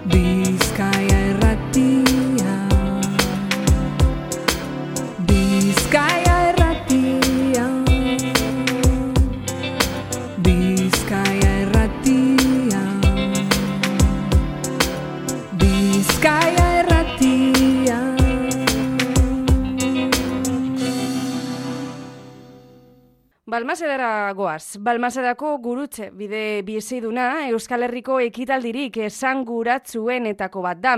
Bizkaia Irratia. Bizkaia Irratia. Bizkaia Irratia. Bizkaia Irratia. Balmasedara goaz. Balmasedako gurutze bide biziduna Euskal Herriko ekitaldirik esanguratsuen-etako bat da.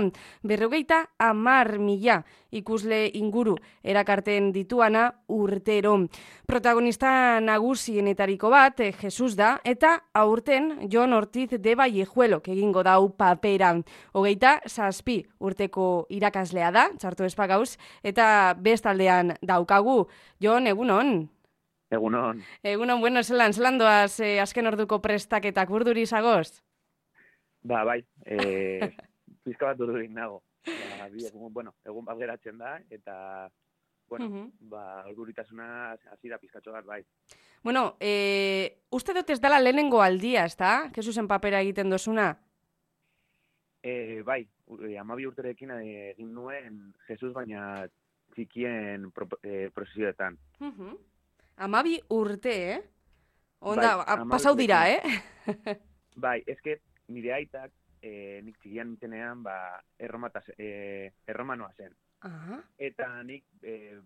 50.000 ikusle inguru erakarten dituana urtero. Protagonista nagusienetariko bat Jesus da eta aurten Jon Ortiz de Vallejuelok egingo dau papera. 27 urteko irakaslea da, txarto espagauz, eta bestaldean daukagu. Jon, egunon? Egunon. Egunon, bueno, zelan doaz azken orduko prestaketak urduri zagoz? Bai, pizka bat urdurik nago. Egun bat geratzen da, eta, urduritasuna hasi da pizkatxo bat, bai. Bueno, uste dut ez dela lehenengo aldia, ez da? Jesusen papera egiten dozuna? Bai, 12 urterekin egin nuen Jesus, baina txikien prozesioetan. 12 urte, Onda, bai, pasau dira, Bai, eske nire aitak nik txikian nintenean erromanoa zen. Aha. Eta nik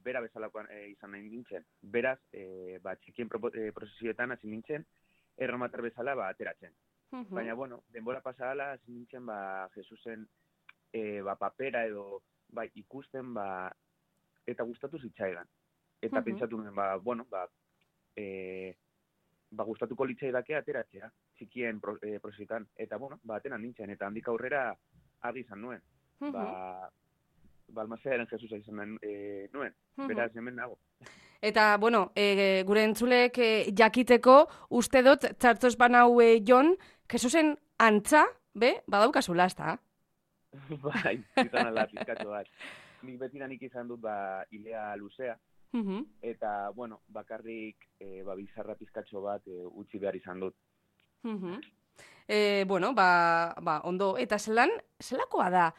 bera bezalakoan izan nahi nintzen. Beraz, txikien prozesioetan hasi nintzen, erromatar bezala ateratzen. Baina, denbora pasala hasi nintzen Jesusen papera edo ikusten eta gustatu zitzaidan. Eta pentsatu nuen, gustatuko litzaidake ateratzea, txikien prozesioetan. Eta, ateran nintzen, eta handik aurrera argi izan nuen. Balmasedaren Jesusa izan nuen, beraz hemen nago. Eta, gure entzulek jakiteko, uste dut, txartos banau Jon, Jesusen antza, badaukazula, ezta? Bai, izan ala pizkatxo bat. Nik betidanik izan dut ilea luzea, eta, bakarrik bizarra pizkatxo bat utzi behar izan dut. Ondo, eta zelakoa da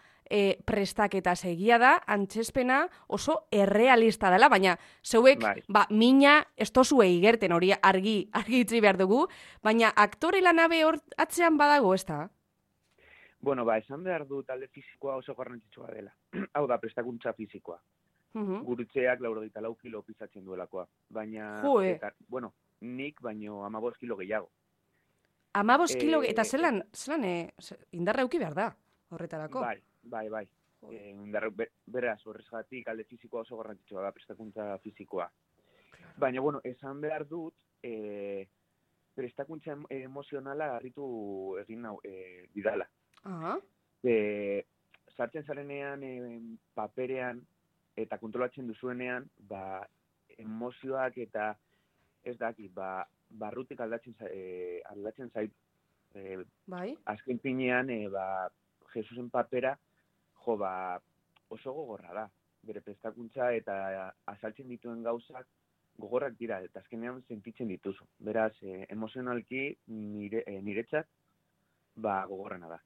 prestaketa egia da, antzespena oso errealista dela, baina zeuek, mina ez tozue igerten hori argi itzi behar dugu, baina aktore lanabe hor atzean badago, ez da? Esan behar du talde fizikoa oso garrantzitsua dela. Hau da, prestakuntza fizikoa. Gurutzeak 84 kilo pisatzen duelakoa. Baina, nik baino 15 kilo gehiago. 15 kilo, eta zelan indarra euki behar da, horretarako? Bai. Beraz, horrezgatik alde fizikoa oso garrantzitsua da, prestakuntza fizikoa. Baina, esan behar dut, prestakuntza emozionala harritu egin didala. Sartzen zarenean paperean eta kontrolatzen duzuenean, emozioak eta ez daki, barrutik aldatzen zaitu. Azken pinean, Jesusen papera, oso gogorra da. Bere prestakuntza eta azaltzen dituen gauzak gogorrak dira, eta azkenean sentitzen dituzu. Beraz, emozionalki niretzat, gogorrena da.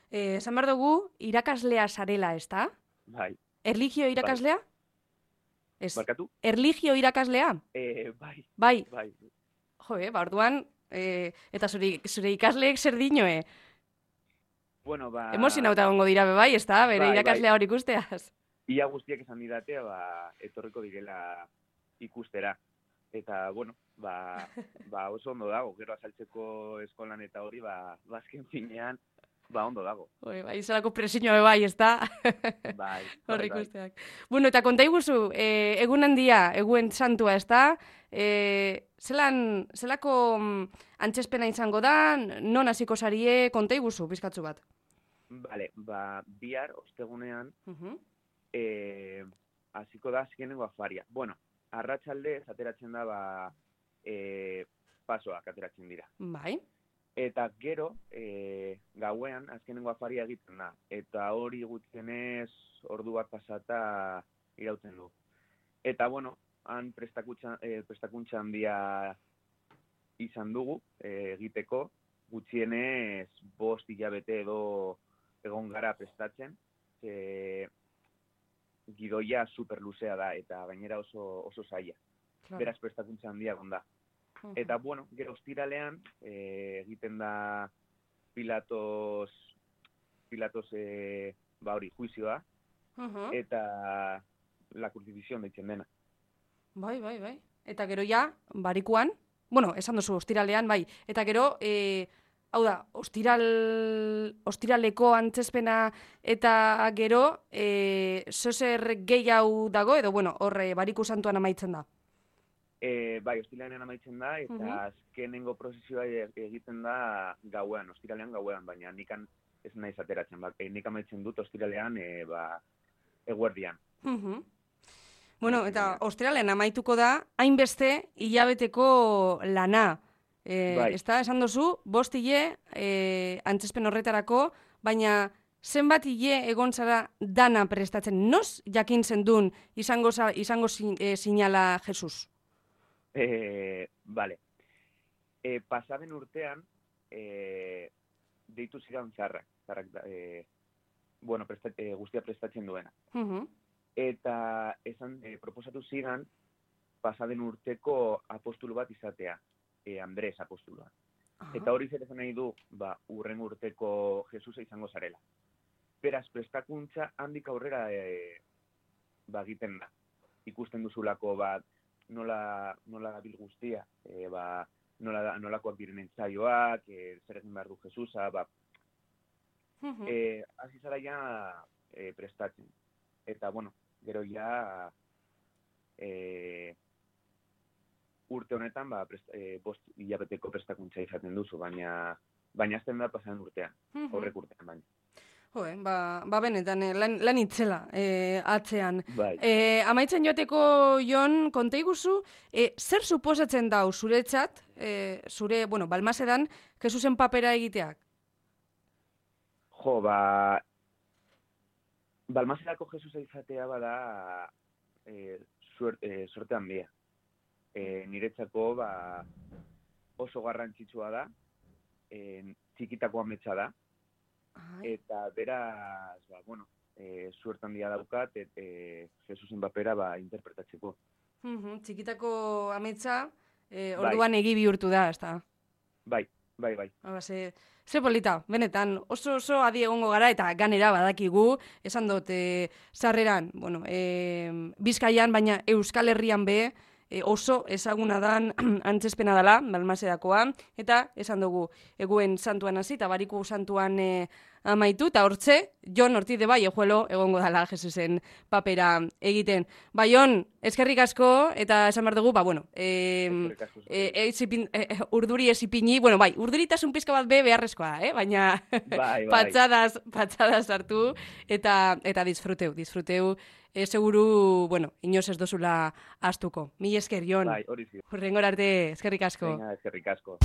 Esan behar dugu, irakaslea zarela, ez da? Bai. Erligio irakaslea? Barkatu? Erligio irakaslea? Bai. Jo, orduan, eta zure ikasleek zer dinoe? Emozionauta gongo dira bai, ez da? Bere irakaslea hori ikusteaz? Ia guztiak esan didate, etorriko direla ikustera. Eta, oso ondo dago, gero azaltzeko eskolan eta hori, azken finean, ondo dago. Izalako presioa bai, ez da? Bai. Hor ikusteak. Eta konta iguzu, egun handia, egun santua, ez da? Zelako antzespena izango da, non hasiko zarie, konta iguzu, bizkatzu bat? Bihar, ostegunean, hasiko da azkenengo afaria. Arratsaldez ateratzen da, pasoak ateratzen dira. Bai. Eta gero, gauean, azkenengo afaria egiten da. Eta hori gutxienez ordu bat pasata irauten du. Eta, han prestakuntza handia izan dugu egiteko, gutxienez 5 hilabete edo egon gara prestatzen, gidoia superluzea da, eta gainera oso zaila. Claro. Beraz prestakuntza handia egon da. Eta, bueno, gero ostiralean, egiten da Pilatos hori, juizioa, eta la crucifixión deitzen dena. Bai. Eta gero ja, barikuan, bueno, esan duzu, ostiralean, bai. Eta gero, hau da, ostiraleko antzespena eta gero, zozer gehiago dago, edo, bueno, horre, bariku santuan amaitzen da. Bai, ostiralean amaitzen da, eta azkenengo prozesioa egiten da ostiralean gauean, baina nikan ez naiz ateratzen, nik amaitzen dut ostiralean, eguerdian. Bueno, eta ostiralean amaituko da, hainbeste hilabeteko lana. Bai. Ez da, esan duzu, 5 hile antzespen horretarako, baina zenbat hile egon zara dana prestatzen? Noz jakin zendun izango sinala Jesus? Vale. Pasaden urtean, deitu zidan zarrak guztia prestatzen duena. Eta esan proposatu zidan pasaden urteko apostulu bat izatea, Andres apostulua. Eta hori zer esan nahi du, urren urteko Jesusa izango zarela. Beraz, prestakuntza handik aurrera egiten da. Ikusten duzulako nola gabil guztia, nolakoak diren entzaioak, zer egin behar du Jesusa, hasi zara ja prestatzen. Eta, bueno, gero ja urte honetan 5 hilabeteko prestakuntza izaten duzu, baina azten da pasan urtean, horrek urtean baina. Benetan, lan itzela atzean. Bai. Amaitzen joateko, Jon, konta iguzu, zer suposatzen dau zuretzat, zure, Balmasedan, Jesusen papera egiteak? Balmasedako Jesusa izatea bada suerte handia. Niretzako oso garrantzitsua da, txikitako ametsa da, eta beraz, suerte handia daukat, Jesusen papera interpretatzeko. Txikitako ametsa, orduan egi bihurtu da, ez da? Bai. Ze polita, benetan, oso adi egongo gara, eta ganera badakigu, esan dut, sarreran, Bizkaian, baina Euskal Herrian be, oso ezaguna dan antzespena dela, Balmasedakoa, eta esan dugu, eguen santuan hasi, eta bariku santuan amaitu, eta hortze, Jon Ortiz de Vallejuelo egongo dala Jesusen papera egiten. Jon, eskerrik asko, eta esan behar dugu, urduri ez ipini, urduritasun pizka bat beharrezkoa, baina patxadas hartu, eta disfruteu, seguru, inoz ez dozula astuko. Mil esker, Jon. Bai, hori zi. Hurrengor arte, eskerrik asko. Venga, eskerrik asko.